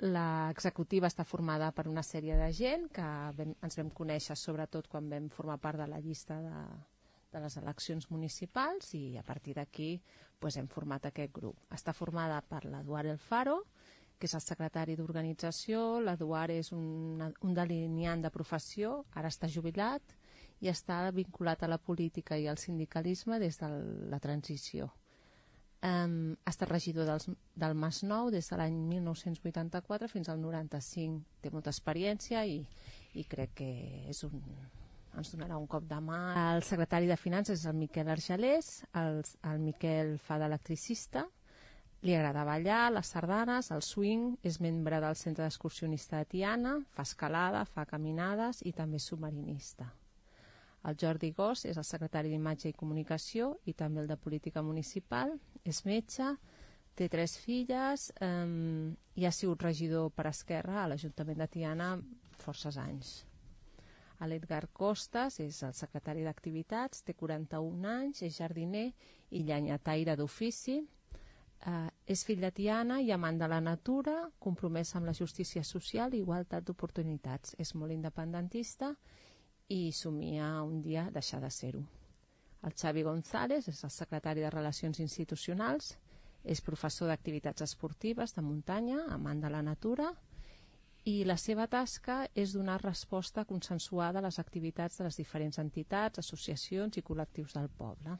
L'executiva està formada per una sèrie de gent que ens vam conèixer sobretot quan vam formar part de la llista de les eleccions municipals, i a partir d'aquí hem format aquest grup. Està formada per l'Eduard Alfaro, que és el secretari d'organització. L'Eduard és un delineant de professió, ara està jubilat i està vinculat a la política i al sindicalisme des de la transició. Ha estat regidor del Masnou des de l'any 1984 fins al 95. Té molta experiència i crec que ens donarà un cop de mà. El secretari de Finances és el Miquel Argelés. El Miquel fa d'electricista. Li agrada ballar, les sardanes, el swing, és membre del Centre d'Excursionista de Tiana, fa escalada, fa caminades i també és submarinista. El Jordi Gós és el secretari d'Imatge i Comunicació i també el de Política Municipal, és metge, té 3 filles i ha sigut regidor per Esquerra a l'Ajuntament de Tiana forces anys. L'Edgar Costas és el secretari d'Activitats, té 41 anys, és jardiner i llenyataire d'ofici. És fill de Tiana i amant de la natura, compromès amb la justícia social i igualtat d'oportunitats. És molt independentista i somia un dia deixar de ser-ho. El Xavi González és el secretari de Relacions Institucionals, és professor d'activitats esportives de muntanya, amant de la natura, i la seva tasca és donar resposta consensuada a les activitats de les diferents entitats, associacions i col·lectius del poble.